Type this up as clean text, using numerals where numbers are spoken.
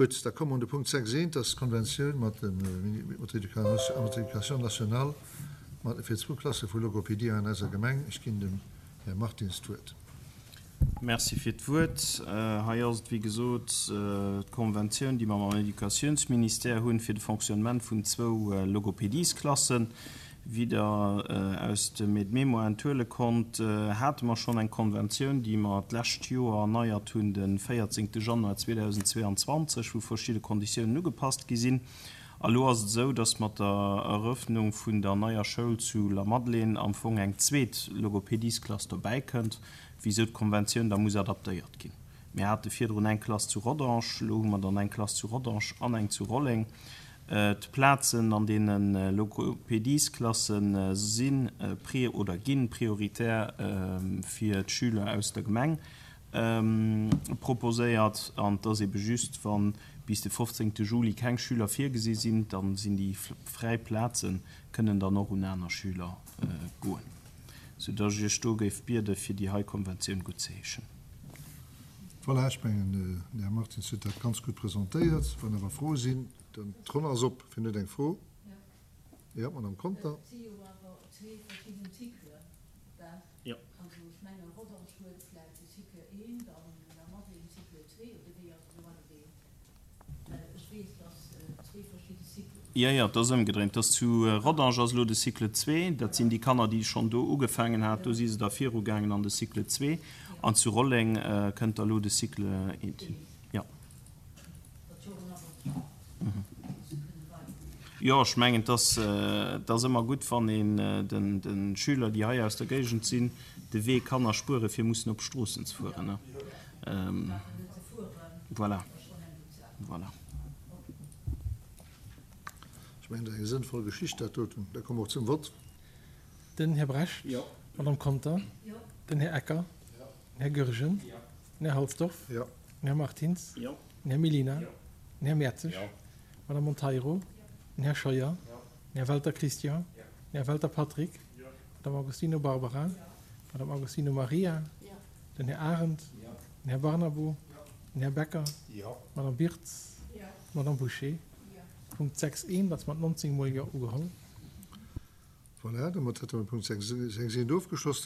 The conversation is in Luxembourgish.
Gutt, da komme mer un de Punkt 6 eent, dat ass d'Konventioun mat dem, mat der Éducation nationale mat, fir zwou Klasse vu Logopedie an eiser Gemeng. Ech ginn dem Här Martins d'Wuert. Merci fir d'Wuert. Hei ass et, wéi gesot, d'Konventioun, déi mer mam Éducatiounsministère hunn, fir de Fonctionnement vun zwou Logopediesklassen. Wéi Der aus dem Aide-mémoire enthuele konnt, hate mer schonn eng Konventioun, déi mer d'lescht Joer erneiert hunn, de 14. Januar 2022, wou verschidde Konditiounen ugepasst gi sinn. A lo ass et esou, dass mat der Erëffnung vun der neier Schoul zu Lamadelaine am Fong eng zweet Logopediesklass dobäikënnt, wisou d'Konventioun da muss adaptéiert ginn. Mir hate virdrun eng Klass zu Rodange, elo hu mer dann eng Klass zu Rodange an eng zu Rolleng. D'Plazen an deene Logopediesklasse si oder gi prioritär fir d'Schüler aus der Gemeng proposéiert. An et ass ebe just, wa bis de 15 Juli keng Schüler virgesi sinn, da sinn déi fräi Plaze kënnen dann och un aner Schüler goen. Soudass ech Iech do géif biede fir déi hei Konventioun guttzeheeschen. Voilà, ech mengen, den Här Martins huet dat ganz gutt presentéiert. Wann awer Froe sinn, dann d'Ronn ass op. Wien huet eng Fro? Jo, d'Madame Conter. Et si jo awer zwee verschidden Cyclen, gell? Jo. Also ech mengen, Rodange huet vläicht de Cycle 1 an Lamadelaine Cycle 2, oder wéi ass et elo agedeelt? Well ech weess, dass et zwee verschidde Cyclen sinn. Jo, jo, et ass ëmgedréint. Et ass zu Rodange ass elo de Cycle 2, dat sinn déi Kanner, déi schonn do ugefaangen hat, do si se da virugaangen an de Cycle 2. An zu Rolleng kënnt da lo de Cycle 1. Jo. Jo, ech mengen, et ass, et ass ëmmer gutt, wann een den, de Schüler, déi hei aus der Géigend sinn, de Wee kann erspueren, fir mussen op Stroossen ze fueren. Voilà. Voilà. Ech mengen, dat ass eng sënnvoll Geschicht, dat doten. Da komme mer och zum Vott. Den Här Brecht. Jo. D'Madame Conter. Jo. Den Här Ecker. Jo. Den Här Goergen. Jo. Den Här Halsdorf. Jo. Den Här Martins. Jo. Den Här Mellina. Jo. Den Här Mertzig. Jo. D'Madame Monteiro. Jo. Den Här Scheuer. Jo. Den Här Welter Christian. Jo. Den Här Welter Patrick. Jo. D'Madame Agostino Barbara. Jo. D'Madame Agostino Maria. Jo. Den Här Arendt. Jo. Den Här Barnabo. Jo. Den Här Becker. Jo. D'Madame Birtz. Jo. D'Madame Bouché. Jo. Punkt 6 1 ass mat 19 mol Jo ugeholl. Voilà, domat hätte mer Punkt 6 1 ofgeschloss.